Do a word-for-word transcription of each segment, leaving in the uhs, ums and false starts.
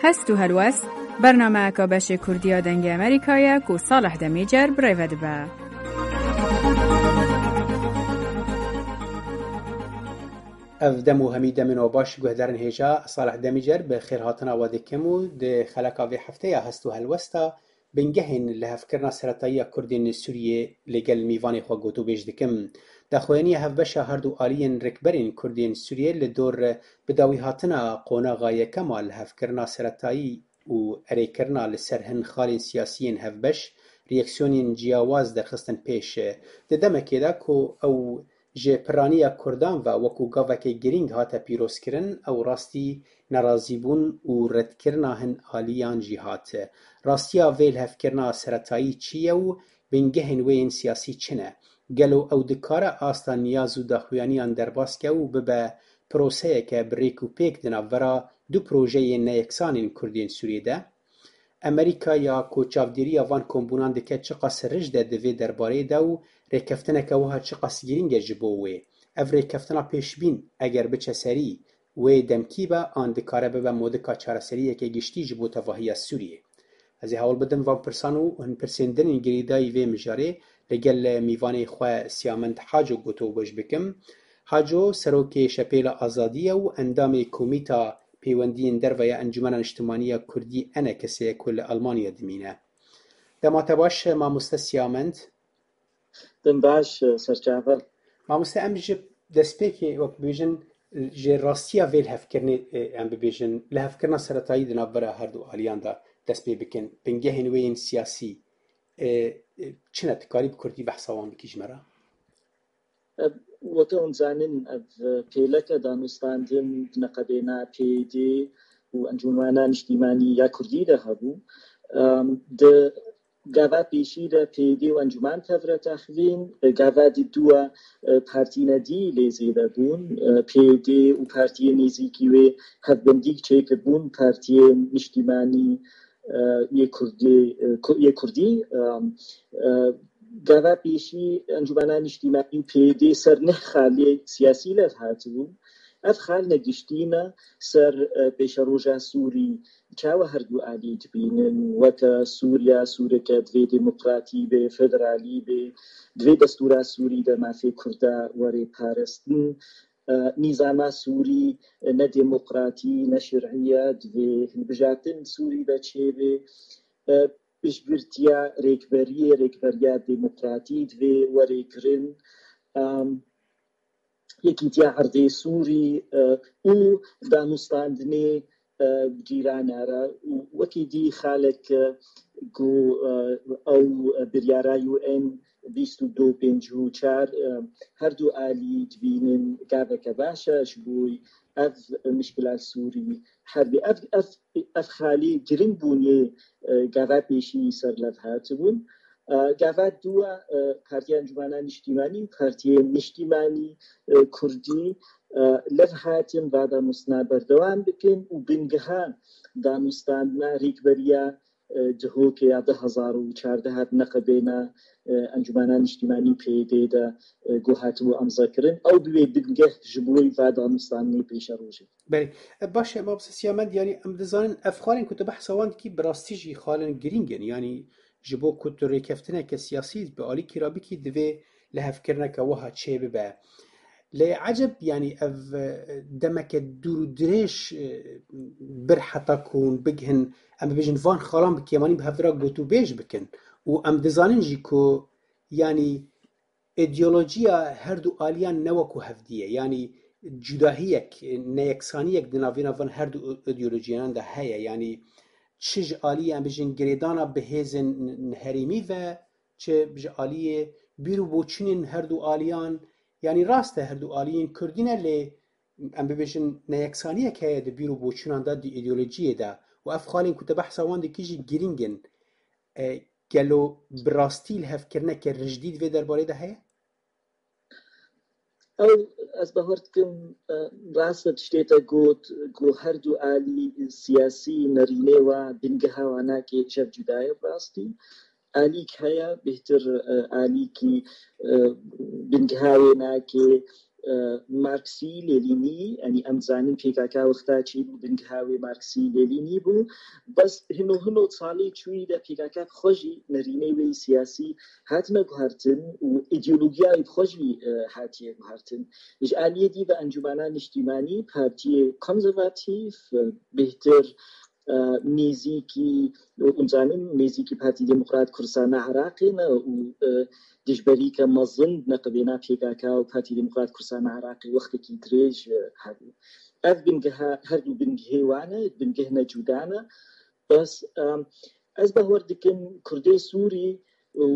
Hest û helwest, bernameyeka beşê Kurdî ya Dengê Amerîkayê ye ku Salih Demîcer bi rê ve dibe. Ev dem û hemî demên we baş guhdarên hêja, Salih Demîcer bi xêrhatina we dikim û di xeleka vê hefteya Hest û Helwesta bingehên lihevkirina seretayiya Kurdên Sûriyê li gel mîvanê xwe gotûbêj dikim. Daxuyaniya hevbeşa her du aliyên rêkberên Kurdên Sûriyê li dor bidawîhatina qonaxa yekem a lihevkirina seretayî û erêkirina li ser hin xalên siyasiyên hevbeş, reaksiyonên ciyawaz derxistin pêş. Di demekê de ku ew ji piraniya Kurdan ve wekû gaveke girîng hate pîrozkirin, ew rastî nerazîbûn û redkirina hin aliyan jî hat. Rastiya vê lihevkirina seretayî çi ye û bingehên wê yên siyasî çi ne? Gelo ew dikare asta niyaz û daxuyaniyan derbas ke û bibe proseyeke bi rêk û pêk di navbera du projeyên neyeksan ên Kurdên Sûriyê de? Amerîka ya ku çavdêriya van kombûnan dike çiqas rij de di vê derbareyê de û rêkeftineke wiha çiqas girîng e ji bo wê? Ev rêkeftina pêşbîn eger biçe serî, wê demkî be an dikare bibe modika çareseriyeke giştî ji bo tevahiya Sûriyê? Ez ê hewl bidim van pirsan û hin pirsên din ên girêdayî vê mijarê li gel mîvanê xwe Siyamend Haco gotûbêj bikim. Haco serokê Şepêla Azadî ye û endamê Komîta Pêwendiyên Derve ya Encûmena Niştimanî ya Kurdî, ENKS'ê ye ku li Almanya dimîne. Dema te baş, mamoste Siyamend. Dem baş, serçave. Mamoste, em ji destpêkê, wek bibêjin, ji rastiya vê lihevkirinê, e, em bibêjin, lihevkirina seretayî di navbera her du aliyan de dest pê bikin. Bingehên wê yên siyasî, e, e, çi ne? Tu karî bi kurdî behsa wan bikî ji me re? Ev, weke hûn zanin, ev pêleke danûstandin neqebêna P Y D û Encûmena Niştîmanî ya Kurdî de hebû. Em, di gava pêşî de P Y D û Encûman tevre texvîn, gava di dû a, e, partîne dî lê zêde bûn. E, P Y D û partiyên nêzîkî wê hevbendî çêkiribûn, partiyên niştîmanî, e, yê Kurdî, e, Ku-, yê Kurdî, e, e, gava pêşî Encûmena Niştîmanî û P Y D ser neh xalê siyasî lev hatibûn. Ev xal ne giştî ne ser, e, pêşeroja Sûrî, çawa her du alî dibînin, weke Sûriya, Sûreke divê demokratî be, federalî be, divê destûra Sûrî de mafê Kurda were parastin. E, nîzama Sûrî, e, ne demokratî, ne şerî ye, divê hilbijartin Sûrî de çêbe. E, piştgirtiya rêkberiyê, rêkberiya demokratî divê were kirin. Em, Yekîtiya Erdê Sûrî, e, û danûstandinê, e, cîrana re û wekî dî xalek, e, ku, e, ew biryara U N bîst û du pêncî û çar, e, her du alî dibînin gaveke baş e ji bo ev mişkila Sûrî herbî. Ev, ev, ev xalî giring bûn yê, e, gava pêşî ser lev hatibûn. E, gava dû a, e, Partiya Encûmena Niştîmanî û Partiyên Niştîmanî, e, Kurdî, e, lev hatin va danûstina berdewam bikin û bingeha danûstandina rêkberiya, e, Duhokê ya du hezar û çardeh hat neqebêna, e, Encûmena Niştîmanî P Y D de, e, ku hatibû emzekirin. Ew bibe bingeh ji bo va danûstandinê pêşerojê. Belê. E, baş e, mamoste Siyamend, yanî em dizanin ev xalên ku tu behsa wan dikî bi rastî jî xalên girîng in. Yanî ji bo ku tu rêkeftineke siyasî bi alîkî re bikî, divê lihevkirineke wiha çêbibe. Lê eceb, yanî ev, e, demeke dûr û dirêj, e, bir heta ku hûn bigihin, em bibêjin van xalan bi kêmanî bi hev re gotûbêj bikin. Û em dizanin jî ku, yanî, îdeolojiya her du aliyan ne wekû hevdî ye. Yanî cudahiyek, neyeksaniyek di navêna van her du îdeolojiyanan de heye. Yanî çi ji aliyê, em bêjin, girêdana bi hêzên herêmî ve, çi ji aliyê bîr û boçûnên her du aliyan, yanî rast e her du aliyên kurdî ne, lê em bibêjin neyeksaniyek heye di bîr û boçûnan de, di îdeolojiyê de û ev xalên ku te behsa wan dikî jî girîng in. E, gelo bi rastî lihevkirineke rijdî di vê derbarê de heye? Ew, ez bawer dikim, e, rast e tiştê te got, ku her du alî siyasî nerînê wa, bingeha wa nake, ji hev cuda ye bi rastî. Alîk heye, bêhtir, e, alîkî, e, bingeha wê nake, e, Marksî, Lênînî, yanî em dizanin P K K wexta çêbû, bingeha wê Marksî, Lênînî bû. Bes hino hino salê çûyî de P K K bi xwe jî nerînê wê siyasî hatine guhertin û îdeolojiya wê bi xwe jî, e, hatiye guhertin. Ji aliyê dî ve Encûmena Niştîmanî partiyê konservatîf, e, bêhtir, e, nêzîkî, hûn zanin, nêzîkî Partî Demokrat Kurdistana Iraqê ne û, e, dijberîke mezin neqibêna P K K û Partî Demokrat Kurdistana Iraqê wextekî dirêj, e, hebû. Ev bingeha, her du bingehê wan e, bingeh ne cuda ne. Bes, e, ez bawer dikim Kurdê Sûrî û,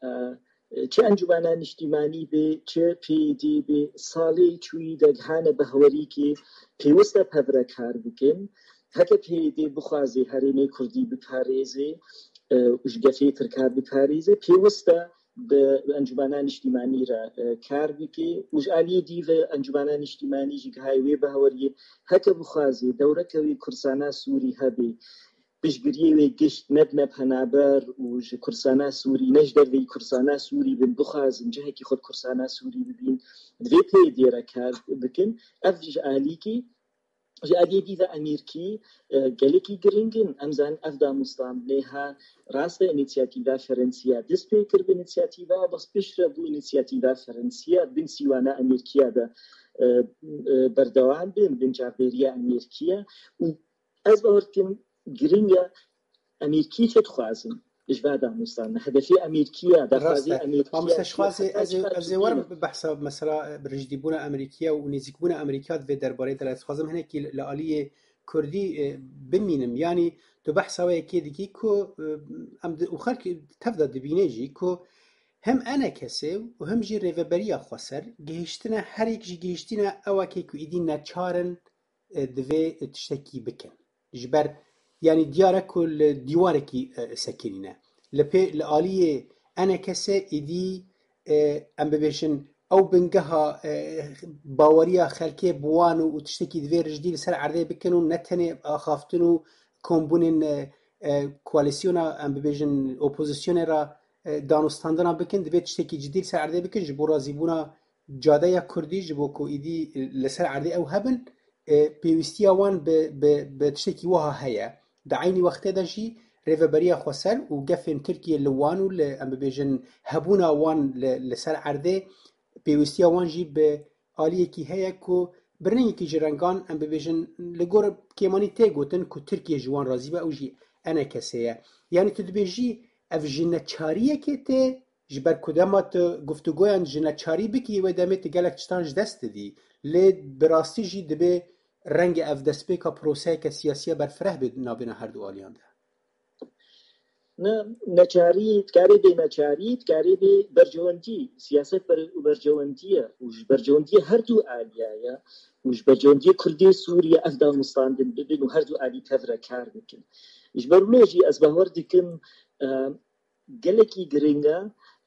e, çi Encûmena Niştîmanî be, çi P Y D be, salê çûyî de gihane behwerîkê pêwist e pevre kar bikin. Heke P Y D bixwaze herêmê Kurdî biparêze, e, û ji gefê Tirka biparêze, pêwist e bi Encûmena Niştîmanî re, e, kar bike û ji aliyê dî ve Encûmena Niştîmanî jî gihayê wê behweriyê, heke bixwaze dewreke wê Kurdistana Sûrî hebe, piştgiriyê wê gişt nebine penaber û ji Kurdistana Sûrî, ne ji derveyî Kurdistana Sûrî bin, bixwazin cihekî xwe di Kurdistana Sûrî bibîn, divê P Y D re kar bikin. Ev ji alîkî, ji aliyê dî ve Amerîkî, e, gelekî giring in. Em zanin ev danûstandinê ha rast e, înîsiyatîva Ferensiya dest pê kir bi înîsiyatîva, bes piştre bû înîsiyatîva Ferensiya bin sîwana Amerîkiya de, e, e, berdewam bin, bin çavdêriya Amerîkiya û ez bawer dikim giring e Amerîkî çi dixwazin ji va danûstandinê. Hedefê Amerîkiya, daxwazê Amerîkiya. Mamoste, ji xwazê ez ê, ez ê werim bi behsa mesela, e, bi rijdîbûna Amerîkiya û nêzîkbûna Amerîkiya di vê derbarê de, ez dixwazim hinekî li, li aliyê Kurdî, e, bimînim. Yanî tu behsa wê yekê dikî ku, e, em di, û xelk tev de dibîne jî ku hem E N K S û hem jî Rêveberiya Xweser gihiştine, her yek jî gihiştine ewakê ku îdî neçar in, e, divê tiştekî bikin. Ji ber, yanî diyar e ku li dîwarekî, e, sekinîne. Li pê, li aliyê E N K S êdî, e, em bibêjin, ew bingeha, e, baweriya xelkê bi wan û, û tiştekî divê rijdî li ser erdê bikin û ne tenê axaftin û kombûnên, e, e, koalîsyona, em bibêjin, opozisyonê re, e, danûstandina bikin, divê tiştekî cidî li ser erdê bikin ji bo razîbûna cadeya Kurdî, ji bo ku êdî li ser erdê ew hebin, e, pêwîstiya wan bi, bi, bi tiştekî wiha heye. Di eynî wextê de jî Rêveberiya Xweser û gefên Tirkiyê li wan û li, em bibêjin, hebûna wan li, li ser erdê pêwîstiya wan jî bi aliyekî heye ku bi rengekî ji rengan, em bibêjin, li gor kêmanî tê gotin ku Tirkiye ji wan razî be, ew jî E N K S ye. Yanî tu dibêjî ev ji neçariyekê tê, ji ber ku dema tu guftûgoyan ji neçarî bikî, wê demê tu gelek tiştan ji dest didî. Lê bi rastî jî dibê rengê ev destpêka proseyeke siyasî ya berfireh bê navbêna her du aliyan de. Ne, neçarî, dikarê bê neçarî, dikarê bê bercewendî, siyaset ber-, bercewendî ye û ji bercewendiyê her du aliya ye û ji bercewendiyê Kurdê Sûriye ev danûstandin bibin û her du alî tev re kar bikin. Ji ber wilo jî ez bawer dikim, e, gelekî giring e,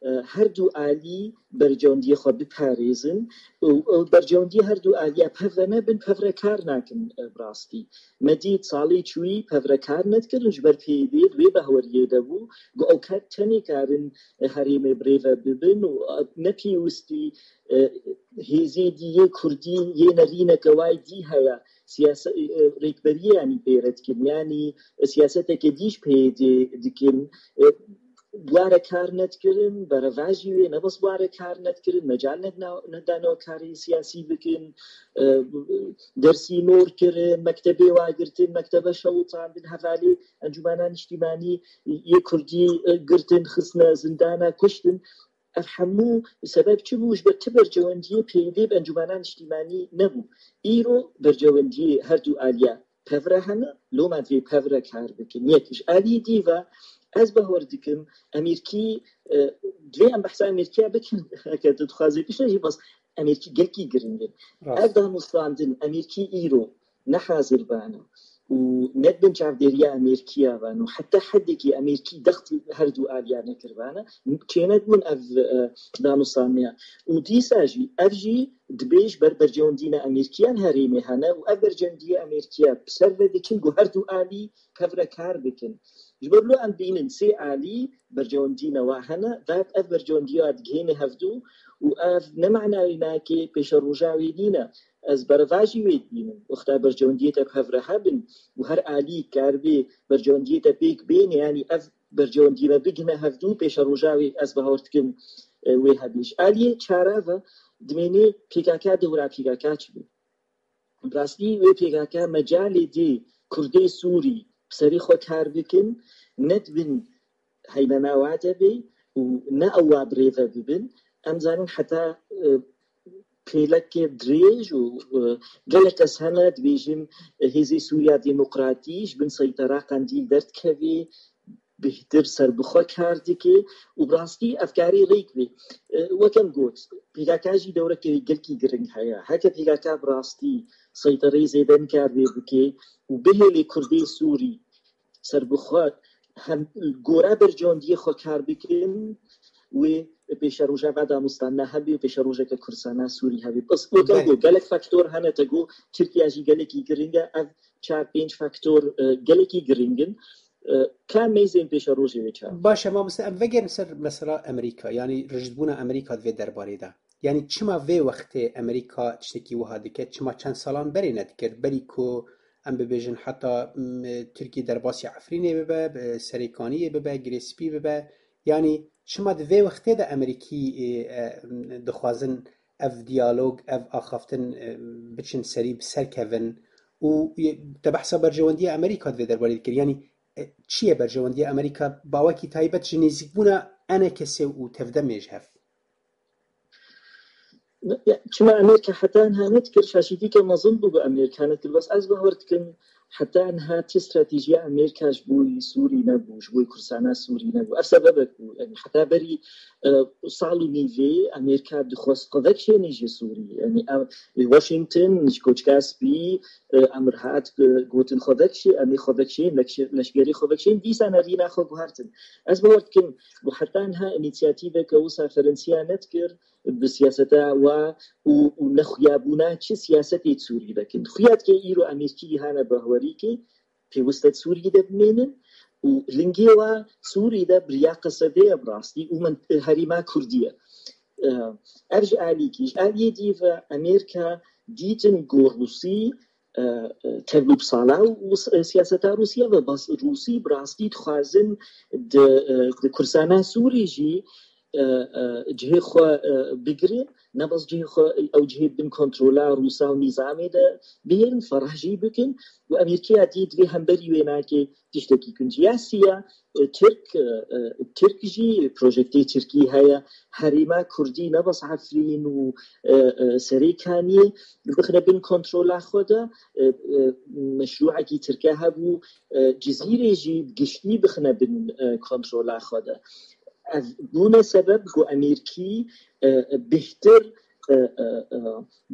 e, her du alî bercewendiyê xwe biparêzin û, û bercewendiyê her du aliya pevre nebin, pevre kar nakin, e, bi rastî. Me dît salê çûyî pevre kar nedikirin, ji ber P Y D di wê behweriyê de bû, ku ew ket tenê karin, e, herêmê bi rê ve bibin û, e, ne pêwistî, e, hêzê dî yê Kurdî yê nerîneke wayî dî heye, siyase-, e, rêkberiyê yanî pê re dikin, yanî siyaseteke dî ji P Y D dikin. E, bi wa re kar nedikirin, berevajî wê ne bes bi wa re kar nedikirin, mecal nedina-, nedane karê siyasî bikin, e, dersî nor kirin, mektebê wa girtin, mektebe şewitandin, hevalê Encûmena Niştîmanî yê Kurdî, e, girtin, xistine zindana, kuştin. Ev hemû sebeb çi bû? Ji ber ti bercewendiyê P Y D bi Encûmena Niştîmanî nebû. Îro bercewendiyê her du aliya pevre hene, loma divê pevre kar bikin. Yek, ji alî dî ve ez bawer dikim, Amerîkî, e, divê em behsa Amerîkiya bikin, heke tu dixwazî piştre jî, bas Amerîkî gelkî giring in. Rast. Ev danûstandin Amerîkî îro ne hazir bana. û nedibin çavdêriya Amerîkiya van û heta hedekî Amerîkî dextî her du aliya nekirvana, çênedibûn ev, e, danûstaniya. Û dîsa jî, ev jî dibê ji ber bercewendîna Amerîkiyan herêmê hene û ev bercewendiyê Amerîkiya bi ser ve dikin ku her du alî hev re kar bikin. Ji ber lo em bînin sê alî bercewendîna wa hene, ve ev bercewendiya digihêne hevdu û ev ne manayê nake pêşeroja wê nîne. Ez berevajî wê dibînim. Wexta bercewendiyê te bi hev re hebin û her alî karibê bercewendiyê te pêk bêne, yanî ev bercewendî ve bigihne hevdu, pêşeroja wê ez bawer dikim, e, wê hebî. Ji aliyê çara ve dimênê P K K dewra P K K çi bû? Bi rastî wê P K K mecalê dê Kurdê Sûrî bi serê xwe kar bikin, nedibin heymena wa de bê û ne ew wa bi rê ve bibin. Em zanin heta, e, pêleke dirêj û, e, gelek kes hene dibêjin, e, Hêzê Sûriya Demokratî ji bin seytera Qendîl derdikevê, bêhtir serbixwe kar dike û bi rastî ev karê rêk bê. E, wek em got, P K K jî dewreke gelkî giring heye. Heke P K K bi rastî seytereyê zêde nikar vê bike û bihêlê Kurdê Sûrî serbixwe hem gora bercewendiyê xwe kar bikin, wê pêşeroja ve danûstana hebî û pêşerojeke Kurdistana Sûrî hebî. Bes wek em Belê. got, gelek faktor hene, te got Tirkiye jî gelekî giring e. Ev çar pênc faktor, e, gelekî giring in. E, ka meyzên pêşerojê wê çar. Baş e, mamoste, em vegerin ser mesela Amerîka, yanî rijdbûna Amerîka di vê derbarê de. Yanî çima vê wextê Amerîka tiştekî wiha dike? Çima çend salan berê nedikir? Berî ku em bibêjin heta, m, Tirkî derbasî Efrînê bibe, bi Serêkaniyê bibe, Girê Spî bibe. Yanî çima di vê wextê de Amerîkî, e, e, dixwazin ev diyalog, ev axaftin, e, biçin serî, bi ser kevin? Û, e, te behsa berjewendiya Amerîka di vê derbarê dikir. Yanî, e, çi ye berjewendiya Amerîka, bawekî taybet ji nêzîkbûna enekesê û tevdemê ji hev? Ya, çima Amerîka heta niha nedikir, şaşîtîke mezin bû ku Amerîka nedikir. Bes ez bawer dikim, heta niha ti stratejiya Amerîka ji bo Sûrî nebû, ji bo Kurdistana Sûrî nebû. Ev sebebek bû. Yanî heta berî, e, sal û nîvê Amerîka dixwest xwe vekişêne ji Sûrî. Yanî ev, Washington ji Koçka Spî, e, emir hat, e, gotin xwe vekişê, em ê xwe vekişên, leşgerî xwe vekişên, dîsa nerîna xwe guhertin. Ez bawer dikim, ku heta niha înîsiyatîveke wisa Ferensiya nedikir, bi siyaseta wa û, û nexuyabûna çi siyasetê Sûrî vekin. Xuya dike îro Amerîkî hane behwerî ke pêwist e Sûrî de bimênin û lingê wa Sûrî de bi riya Qesedê ye bi rastî û min, herêma Kurdî ye. E, ev ji alîkî, ji aliyê dî ve Amerîka dîtin ku Rûsî, e, e, tevlû bi sala û s-, siyaseta Rûsya ve bas Rûsî bi rastî dixwazin di, e, di Kurdistana Sûrî jî, e, e, cihê xwe, e, bigire, ne bas cihê xwe, ew cihê bin kontrola Rûsa û nîzamê de bihêlin, ferah jî bikin û Amerîkaya dî divê hemberî wê nake tiştekî kincî. Ya siya, e, Tirk, e, e, Tirk jî, projektê Tirkî heye, herêma Kurdî ne bes Efrîn û, e, e, Serêkaniyê bixine bin kontrola xwe de, e, e, meşrûekî Tirke hebû, e, Cizîrê jî giştî bixine bin, e, kontrola xwe de. Ev bûne sebeb ku Amerîkî, e, e, bêhtir, e, e, e,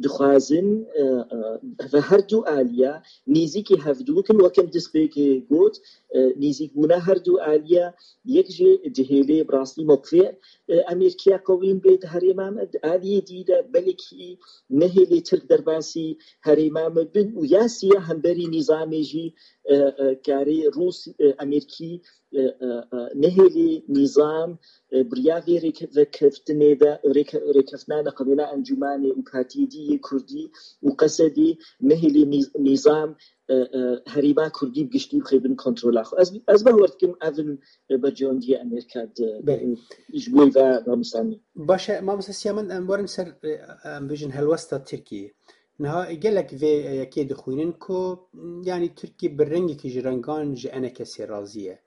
dixwazin, e, e, ve her du aliya nêzîkî hevdû bikin, wek em destpêkê got, e, nêzîkbûna her du aliya yek jê dihêlê bi rastî mewqifê, e, Amerîkiya qewîn bê di herêma me, di aliyê dî de belkî nehêlê Tirk derbasî herêma me bin û ya siya hemberî nîzamê jî, e, e, karê Rûs, e, Amerîkî, e, e, e, nehêlê nîzam, e, bi riya vê rêke-, vekeftinê de, rêke-, rêkeftina neqebêna Encûmanê û Partiyê dî yê Kurdî û Qesedî nehêlê nîz-, nîzam, e, e, herêma Kurdî bi giştî bixê bin kontrola xwe. Ez, ez bawer dikim ev in, e, berjewendiya Amerîka di, Belê. e, ji bo ve ramusanî. Baş e, mamoste Siyamen, em werin ser, e, em bêjin helwesta Tirkiyê. Niha gelek vê yekê dixwînin ku, yanî Tirkiye bi rengekî ji rengan ji enekesê razî ye.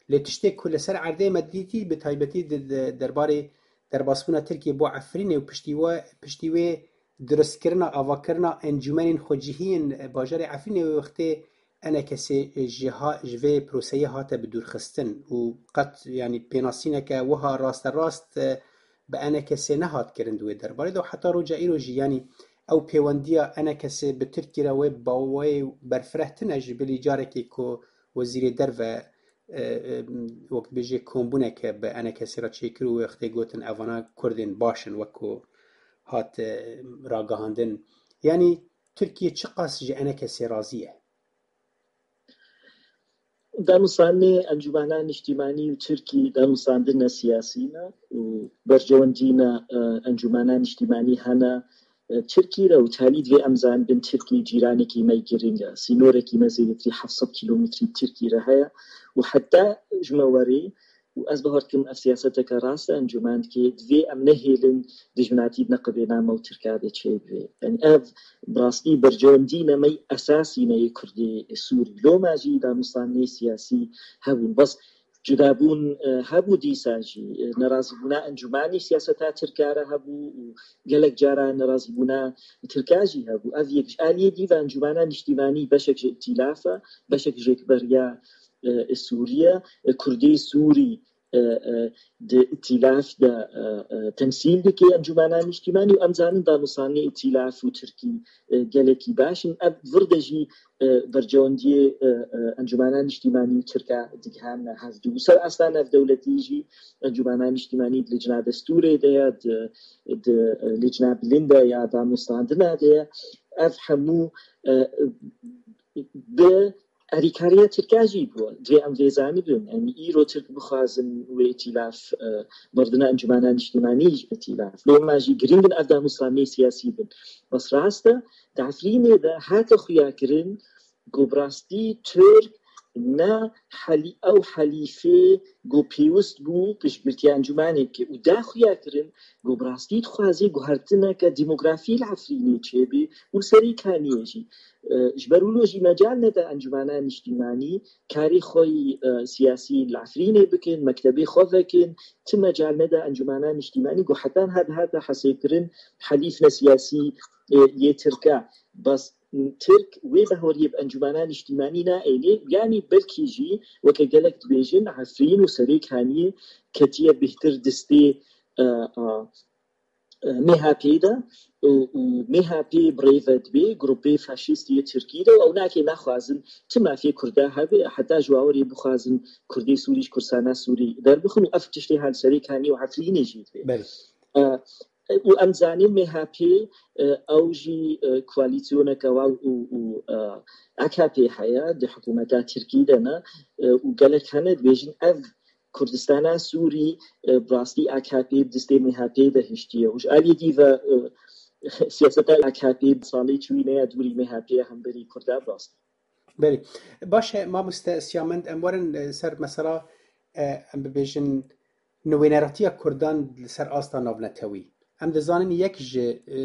Lê tiştê ku li ser erdê me dîtî, bi taybetî di, di derbarê derbasbûna Tirkiye bo Efrînê û piştî we, piştî wê durustkirina, avakirina encûmenên xwecihî yên bajarê Efrînê wê wextê enekesê ji ha-, ji vê proseyê hate bidûrxistin û qet, yanî, pênasîneke wiha rasterast, e, bi enekesê nehat kirin di wê derbarê de û heta roja îro jî, yanî, Ew pêwendiya enekesê bi Tirkî re wê bawayê berfireh tine, ji bilî carekê ku wezîrê derve, e, e, wek dibêje kombûneke bi enekesê re çêkir û wextê gotin evana kurdên baş in, wek ku hat, e, ragihandin. Yanî Tirkiye çiqas ji enekesê razî ye? Danûstandinê Encûmena Niştîmanî û Tirkî danûstandine siyasî ne û berjewendîna, e, Encûmena Niştîmanî hene, e, Tirkî re û talî divê em zanibin Tirkî cîranekî me giring e. Sînorekî me zêdetirî heft sed kîlometrî Tirkî re heye û heta ji me werê û ez bawer dikim ev siyaseteke rast e, encûmen dike, divê em nehêlin dijminatî di neqibê name û Tirka de çêbibe. Yanî ev bi rastî berjewendî ne me esasî ne yê Kurdê Sûrî. Loma jî danûstandinê siyasî hebûn. Bes cudabûn, e, hebû dîsa jî. E, nerazîbûna encûmanî siyaseta Tirka re hebû û gelek cara nerazîbûna Tirka jî hebû. Ev yek ji aliyê dî ve encûmena niştîmanî beşek ji îtîlaf e, beşek ji rêkberiya, e, Sûriye, e, Kurdê Sûrî, e, e, di îtîlaf de, e, e, temsîl dike encûmena niştîmanî û em zanin danûstandinê îtîlaf û Tirkî, e, gelekî baş in. Ev vir de jî, e, berjewendiyê, e, e, encûmena niştîmanî û Tirka digihan hevdû. Ser asta navdewletî jî encûmena niştîmanî di licna destûrê de ye, di, di, e, licna bilind de ya danûstandina de ye. Ev hemû, e, bi alîkariya Tirka jî bû. Divê em vê zanibin. Yanî îro Tirk bixwazin wê îtîlaf, e, merdina encûmena niştîmanî ji îtîlaf. Loma jî giring in ev danûstandinê siyasî bin. Bes rast e, di Efrînê de hate xuyakirin ku bi rastî Tirk ne helî-, ew helîfê ku pêwist bû piştgirtiya encûmanê bike û da xuyakirin ku bi rastî dixwaze guhertineke demografî li Efrînê çêbe û li Serê Kaniyê jî. E, ji ber wilo jî mecal nede encûmena niştîmanî karê xwe yî, e, siyasî li Efrînê bikin, mektebê xwe vekin, ti mecal nede encûmena niştîmanî ku heta niha dihate hesêbkirin helîf ne siyasî, e, yê Tirk e. Bes Tirk wê behoriyê bi encûmena niştîmanî naêne, yanî belkî jî weke gelek dibêjin Efrîn û Serê Kaniyê ketiye bêhtir destê, e, a, e, M H P de û, û M H P bi rê ve dibe grûpê faşîst yê Tirkî de û ew nake naxwazin ti mafê Kurda hebe, heta ji bawerê bixwazin Kurdê Sûrî ji Kurdistana Sûrî derbixin û ev tiştê ha li Serê Kaniyê û Efrînê jî dibe. Belê. E, û em zanin M H P, e, ew jî, e, koalîsyoneke wa û, û, e, A K P heye di hikûmeta Tirkî de ne, e, û gelek hene dibêjin ev Kurdistana Sûrî, e, bi rastî A K P bi destê M H P de hiştiye. Û ji aliyê dî ve, e, siyaseta A K P bi salê çûyî neya dûrî M H P ya hemberî Kurda bi rastî. Belê. Baş e, mamoste Siyamend, em werin, e, ser mesela, e, em bibêjin, nûweneratiya Kurdan li ser asta navnetewî. Em dizanin yek ji, e,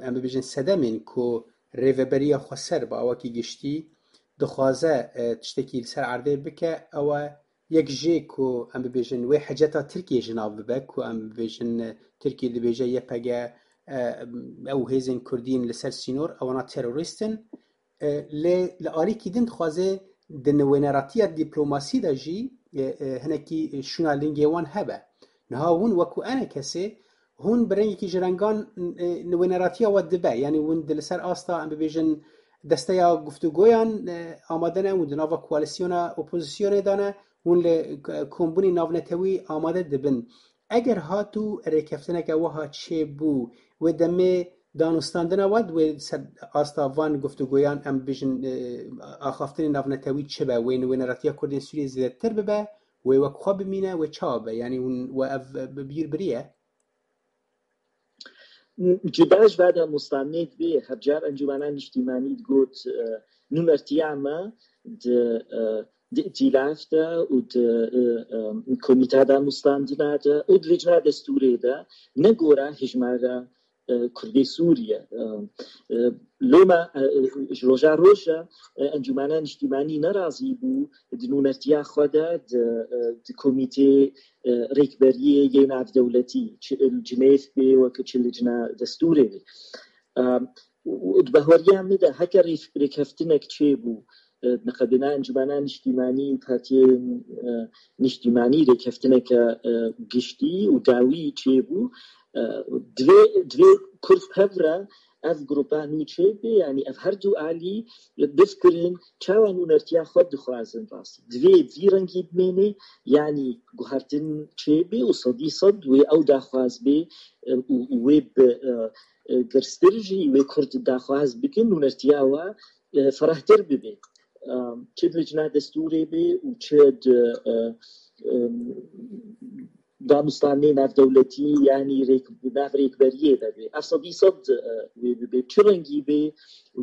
em bibêjin sedemên ku Rêveberiya Xweser bi awakî giştî dixwaze, e, tiştekî li ser erdê bike, ew e yek jê ku em bibêjin wê heceta Tirkiyê ji nav bibe, ku em bibêjin, e, Tirkiye dibêje Y P G, e, ew hêzên Kurdîn li ser sînor, ewana terorîst in. E, lê li alîkî din dixwaze di nûweneratiya dîplomasî de jî, e, e, hinekî şûna lingê wan hebe. Niha hûn wekû enekesê, hûn bi rengekî ji rengan, e, nûweneratiya we dibe. Yanî hûn di li ser asta, em bibêjin, desteya guftûgoyan, e, amade ne, hûn di nava koalîsyona opozîsyonê de ne, hûn li k-, kombûnê navnetewî amade dibin. Eger hat û rêkeftineke wiha çêbû, wê demê danûstandina we di wê ser asta van guftûgoyan, em bijin, e, axaftinê navnetewî çi be, wê nûweneratiya Kurdên Sûriyê zêdetir bibe, wê wek xwe bimîne, wê çawa be? Yanî hûn we ev bi bîr biriye? Cuda ji vê danûstandinê dibê, hebcar Encûmena Niştîmanî digot, e, nûnertiya me di, e, di îtîlaf de û di, e, e, komîta danûstandina de û di licna destûrê de ne gora hejmara, e, Kurdê Sûrî ye. E, e, loma, e, e, ji roja roj re, e, Encûmena Niştîmanî nerazî bû di nûnertiya xwe de di, e, di komîtê, e, rêkberiyê yê navdewletî, çi li Cinêv bê wek çi licna destûrê bê. E, û, û di bahweriya min de heke rê-, rêkeftinek çêbû, e, di neqebêna Encûmena Niştîmanî û partiyên, e, niştîmanî rêkeftineke, e, giştî û dawî çêbû, e, divê, divê Kurd bi hev re ev grupa nû çêbê, yanî ev her du alî bifkirin çawa nûnertiya xwe dixwazin rastî. Divê vî rengî bimêne, yanî guhertin çêbê û sedî sed wê ew daxwaz bê, e, û, û wê bi, e, e, girstir jî wê Kurd daxwaz bikin nûnertiya we, e, ferahtir bibe. E, çi di licna destûrê be û çi di, e, e, danûstanê navdewletî, yanî rêk-, nav rêkberiyê de be. Ev sedî sed, e, wê bibe. Çi rengî be,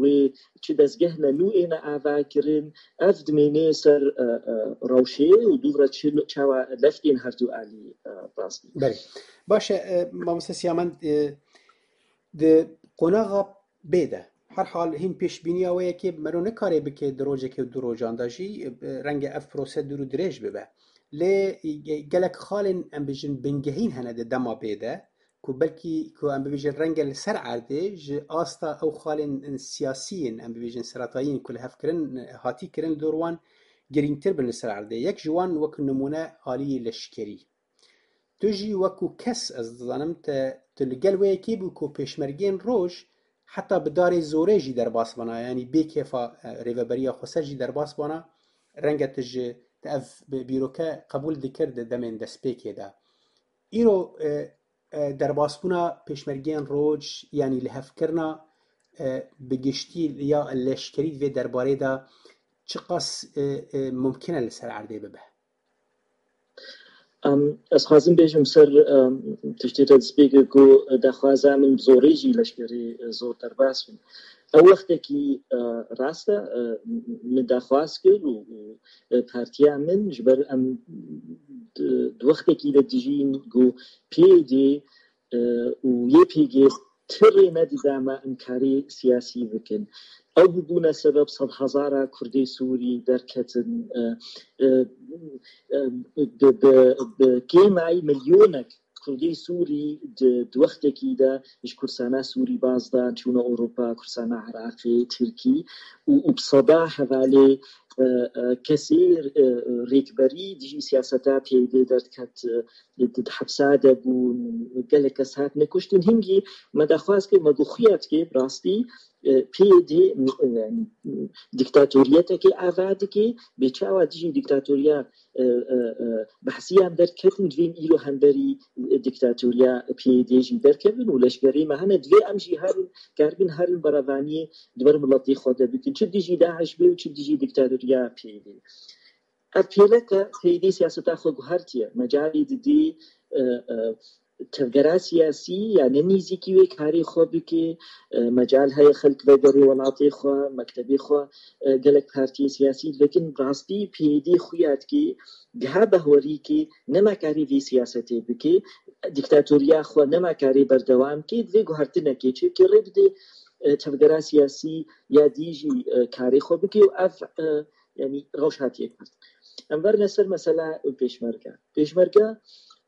wê çi dezgehne nû êne avakirin, ev dimêne ser, e, e, rewşê û dûvre çi, çawa leftên her du alî, e, rast bî. Belê. Baş e, e, mamoste Siyamen, e, di qonaxa bê de. Her hal hîn pêşbîniya wê yekê mero nikare bike di rojekê û du rojan de jî, e, renge ev prose dûr û dirêj bibe. Lê, e, gelek xalên, em bijin, bingehîn hene di dema bê de, ku belkî, ku em bibêjin, renge li ser erdê ji asta ew xalên siyasiyên, em bibêjin, seretayî yên ku li hev kirin, hatî kirin li dor wan girîngtir bin li ser erdê. Yek ji wan wek nimûne aliyê leşkerî. Tu jî wekû kes, ez dizanim, te, tu li gel wê yekê bû ku pêşmergên roj heta bi darê zorê jî derbas bana, yanî bê kêfa, e, Rêveberiya Xweser jî derbas bana, renge tu ji, te ev bi-, bîroke qebûl dikir di demên destpêkê de. Îro, e, e, derbasbûna pêşmergeyên roj, yanî lihevkirina, e, bi giştî ya leşkerî di vê derbarê de çiqas, e, e, mumkin e li ser erdê bibe? Em, ez xwazim bêjim ser, em, tiştê te destpêkê ku daxwaza min zorê jî leşkerî, e, zor derbas bin. Ew wextekî, e, rast e, e, min daxwaz kir û, û, e, partiya min ji ber em di, di wextekî de dijîn ku P Y D, e, û Y P G ti rê nedida me em karê siyasî bikin. Ew bûbûne sebeb sedhezara Kurdê Sûrî derketin, e, e, e, bi, bi, bi kêmayî milyonek Kurdê Sûrî di, di wextekî de ji Kurdistana Sûrî baz dan, çûne Ewropa, Kurdistana Iraqê, Tirkî û, û bi seda hevalê, e, e, kesê, e, rêkberî dijî siyaseta P Y D derdiket, e, di, di hepsa de bûn, gelek kes hatine kuştin. Hingî me daxwaz kir, me got xuya dike, bi rastî, e, P Y D, e, dîktatoriyeteke ava dike, bê çawa dijî dîktatoriya, e, e, e, behsiyan derketin, divên îro hemberî, e, dîktatoriya P Y D jî derkevin û leşkerê me hene, divê em jî herin, karibin herin berevaniyê di ber miletê xwe de bikin. Çi dijî DAIŞ bê û çi dijî dîktatoriya P Y D. Ev pêleke P Y D siyaseta xwe guhertiye. Mecalê didê, e, e, tevgera siyasî ya ne nêzîkî wê karê xwe bike, e, mecal heye xelk vegere welatê xwe, mektebê xwe, e, gelek partiyê siyasî dikin. Rastî P Y D xuya dike, giha behwerî ke nema karê vê siyasetê bike, dîktatoriya xwe nema karê berdewam ke, divê guhertinekê çêke rê bide, e, tevgera siyasî ya dî jî, e, karê xwe bike û ev, e, yanî rewş hatiye guhertin. Em verine ser mesela pêşmerge. Pêşmerge,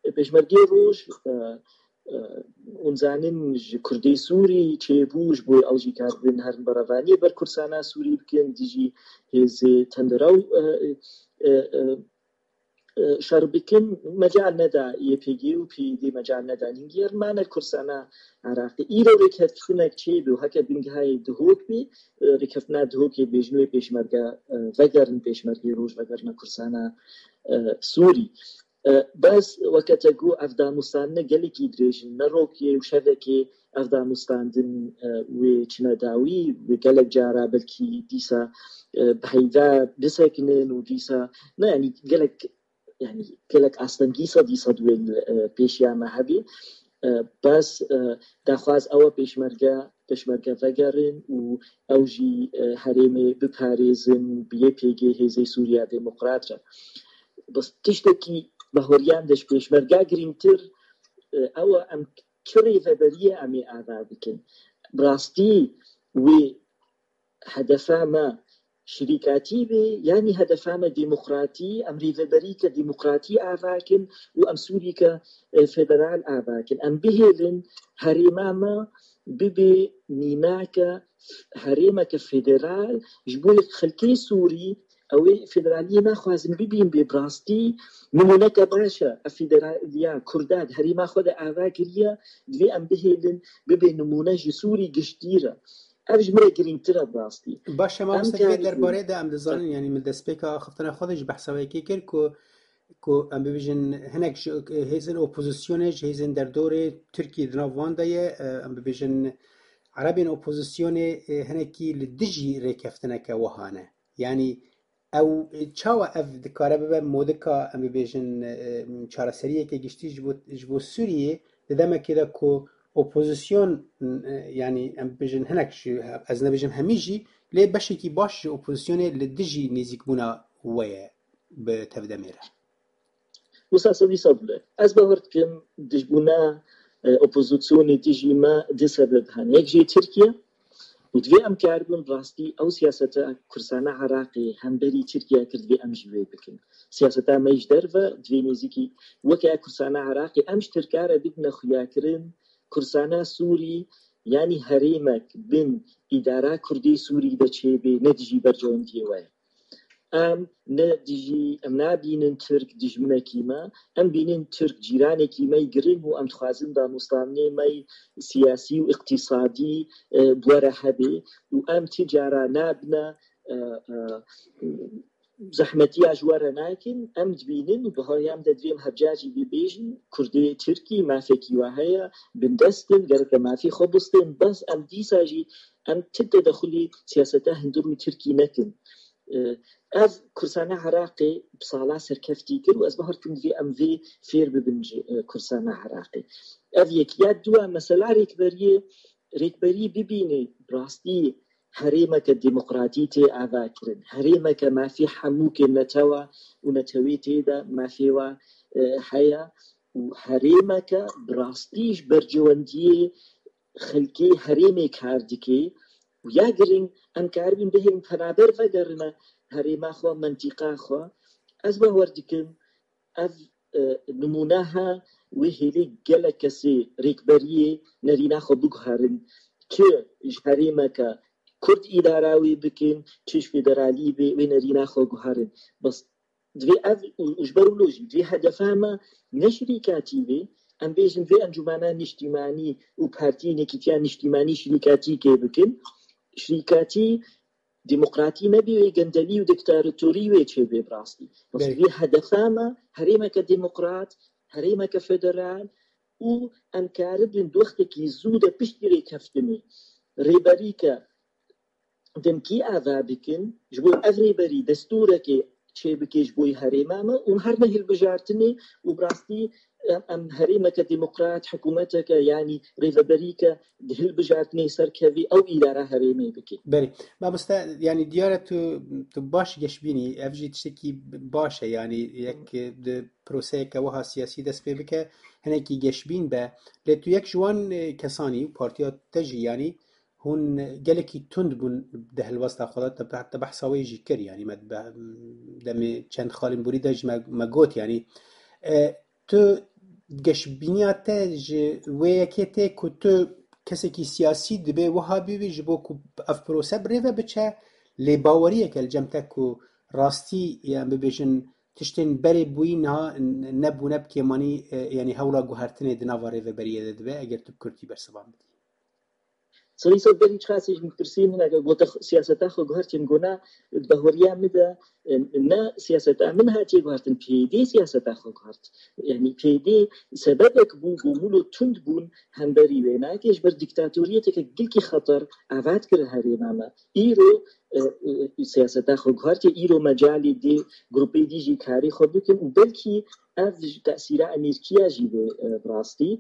pêşmergê roj, e, e, hûn zanin ji Kurdê Sûrî çêbû, ji bo ew jî karibin herin berevaniyê ber Kurdistana Sûrî bikin, dijî hêzê tendirew, e, e, e, e, şer bikin, mecal neda Y P G û P Y D, mecal neda nîngiyar mane Kurdistana Iraqê. Îro rêkeftinek çêbû, heke bingehayê Dihok bî, e, rêkeftina Dihokê bêjin wê pêşmerge, e, vegerin pêşmergê roj, vegerine Kurdistana, e, Sûrî. E, bes weke te got ev danûstandine gelekî dirêj in, ne rokê û şevekê ev danûstandin, e, wê çine dawî, wê gelek cara belkî dîsa, e, bi heyva bisekinin û dîsa, ne, yanî gelek, yanî gelek astengî sedî sed wê, e, pêşiya me hebî. E, bes, e, daxwaz ew e pêşmerge, pêşmerge vegerin û ew jî, e, herêmê biparêzin, bi Y P G hêzê Sûriya Demokrat re. Bes tiştekî bahweriyan de ji pêşmerga girîngtir, e, ew e em çi rêveberiyê em ê ava bikin. Bi rastî wê hedefa me şirîkatî bê, yanî hedefa me demokratî, em rêveberîke demokratî ava kin û em Sûrîke, e, federal ava kin. Em bihêlin herêma me bibe mînake herêmeke federal ji bo xelkê Sûrî Ew ê federaliyê naxwazin bibîn bê, bi rastî nimûneke baş e. Ev federaliya Kurda di herêma xwe de ava kiriye, divê em bihêlin bibe nimûne ji Sûrî giştî re. Ev ji min re girîngtir e bi rastî. Baş e, mamoste, vê derbarê de em dizanin, yanî min destpêka axiftina xwe de ji behsa wê yekê kir ku, ku em bibêjin hinek ji hêzên opozisyonê, ji hêzên derdorê Tirkiyê di nav wan de ye, em bibêjin erebên opozisyonê hinekî li dijî rêkeftineke wiha ne. Yanî ew çawa ev dikare bibe modika, em bibêjin, çareseriyeke giştî ji bo, ji bo Sûriyê, di demekê de ku opozisyon, yanî em bibêjin hinek ji, ez nebêjim hemî jî, lê beşekî baş ji opozisyonê li dijî nêzîkbûna we ye bi tevdemê re? Wisa sedî sed bile. Ez bawer dikim dijbûna opozisyonê dijî me du sebeb hene. Yek jê Tirkiye û divê em karibin rastî ew siyaseta Kursana Iraqê hemberî Tirkiye kir, divê em jî wê bikin. Siyaseta me ji derve divê nêzîkî weke Kursana Iraqê em ji Tirka re bidine xuyakirin, Kursana Sûrî yanî herêmek bin îdara Kurdê Sûrî de çêbê ne dijî berjewendiyê we ye. Em ne dijî, em nabînin Tirk dijminekî me, em bînin Tirk cîranekî me yî giring û em dixwazin danûstanê me yî siyasî û îqtîsadî bi we re hebe û em ti cara nabine zehmetiya ji we re nakin, em dibînin û bi haya em de divê em hevca jî bibêjin, Kurdê Tirkî mafekî we heye, bindest in, gereke mafê xwe bistên, bes em dîsa jî em ti tedexulî siyaseta hundir û Tirkî nekin. Ev Kursana Iraqê bi sala serkeftî kir û ez bawer dikim divê em vê fêr bibin ji Kursana Iraqê. Ev yek. Ya dua, mesela rêkberiyê, rêkberî bibîne bi rastî herêmeke demokratî tê avakirin, herêmeke mafê hemû kê netewa û netewê tê de mafê wa heye û herêmeke bi rastî ji berjewendiyê xelkê herêmê kar dike û ya giring em karibin bihêlin penaber vegerine herêma xwe, mentîqa xwe. Ez bawer dikim ev nimûne he, wê hêlê gelek kesê rêkberiyê nerîna xwe biguherin. Çi ji herêmeke Kurd îdara wê bikin, çi ji federalî bê, wê nerîna xwe guherin. Bes divê ev û ji ber wilo jî divê hedefa me ne şirîkatî bê, em bêjin vê encûmena niştîmanî û partiyên yekîtiya niştîmanî şirîkatî kê bikin. Şirîkatî demokratî nebî, wê gendelî û diktatorî wê çêbê bi rastî. Bes vê hedefa me herêmeke demokrat, herêmeke federal û em karibin di wextekî zû de piştî rêkeftinê rêberîke demkî ava bikin, ji bo ev rêberî destûrekê çêbike ji bo herêma me û her ne hilbijartinê û bi rastî em, em herêmeke demokrat, hikûmeteke, yanî rêveberîke di hilbijartinê serkevî ew îdara herêmê bike. Belê. Mamoste, yanî diyar e tu, tu baş geşbînî, ev jî tiştekî baş e, yanî yek di proseyeke wiha siyasî dest pê bike, hinekî geşbîn be. Lê tu yek ji wan, e, kesanî û partiya te jî, yanî hûn gelekî tund bûn di helwesta xwe de, te, te behsa wê jî kir, yanî me be-, demê çend xalên borî de jî me, me got, yanî, e, tu geşbîniya te ji wê yekê tê ku tu kesekî siyasî dibê wiha bibî ji bo ku ev prose bi rê ve biçe, lê baweriyeke li cem te ku rastî, em bibêjin, tiştên berê bûyî niha nebûne bi kêmanî, e, yanî hewla guhertinê di nava rêveberiyê de dibe, eger tu bi kurtî bersivan bidî. Serî ser berî çiqasî ji min pirsî, min eger gote siyaseta xwe guhertî, min gona, di bahweriya min de, e, ne siyaseta min hatiye guhertin, P Y D siyaseta xwe guhert. Yanî P Y D sebebek bû, ku mûlo tund bûn hemberî wê. Nayekê ji ber dîktatoriyeteke gelkî xeter ava dikir herêma me. Îro, e, e, siyaseta xwe guhertiye, îro mecalê dê grûpê dî jî karê xwe bikin û belkî ev ji tesîra Amerîkiya jî bê, e, bi rastî.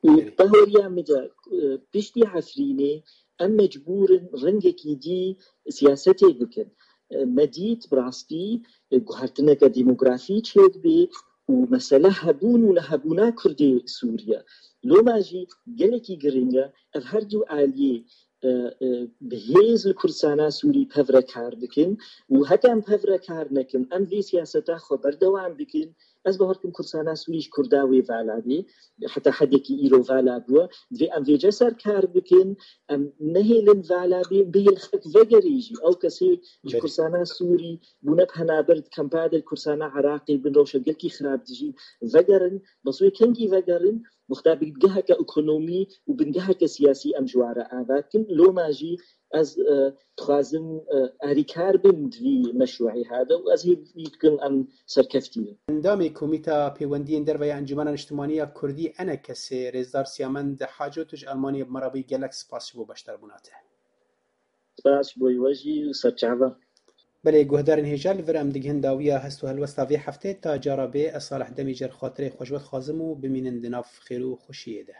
Û Belê. Bahweriya min de, e, piştî Efrînê em mecbûr in rengekî dî siyasetê bikin. E, me dît bi rastî, e, guhertineke demografî çêdibe û mesele hebûn û nehebûna Kurdê Sûriye. Loma jî gelekî giring e ev her du aliyê, e, e, bi hêz li Kurdistana Sûrî pev re kar bikin û heke em pev re kar nekin, em vê siyaseta xwe berdewam bikin, Ez bawer dikim Kurdsana Sûrî ji Kurda wê vala bê, heta hedekî îro vala bûye. Divê em vêce ser kar bikin, em nehêlin vala bê, bihêl xelk vegerê jî. Ew kesê ji Berê. Kurdsana Sûrî bûne penaber di kempa de, Kurdsana Iraqê bin rewşa gelkî xirab dijîn, vegerin, bes wê kengî vegerin, wexta bingeheke ekonomî û bingeheke siyasî em ji wan re ava dikin. Loma jî ez, e, dixwazim, e, alîkar bim di vî meşruî hade û ez hêvî dikim em serkeftî bin. Endamê Komîta Pêwendiyên Derve ya Encûmena Niştimanî ya Kurdî, ENKSê, Rêzdar Siyamend Haco, tu ji Almanyê bi me re bûyî, gelek spas ji bo beşdarbûna te. Spas ji bo we jî û serçava. Belê, guhdarên hêja, li vir em digihin dawiya hest û helwesta vê heftê. Ta cara bê, ez Salih Demîcer xatirê xwe ji we dixwazim û bimînin di nav xêr û xweşiyê de.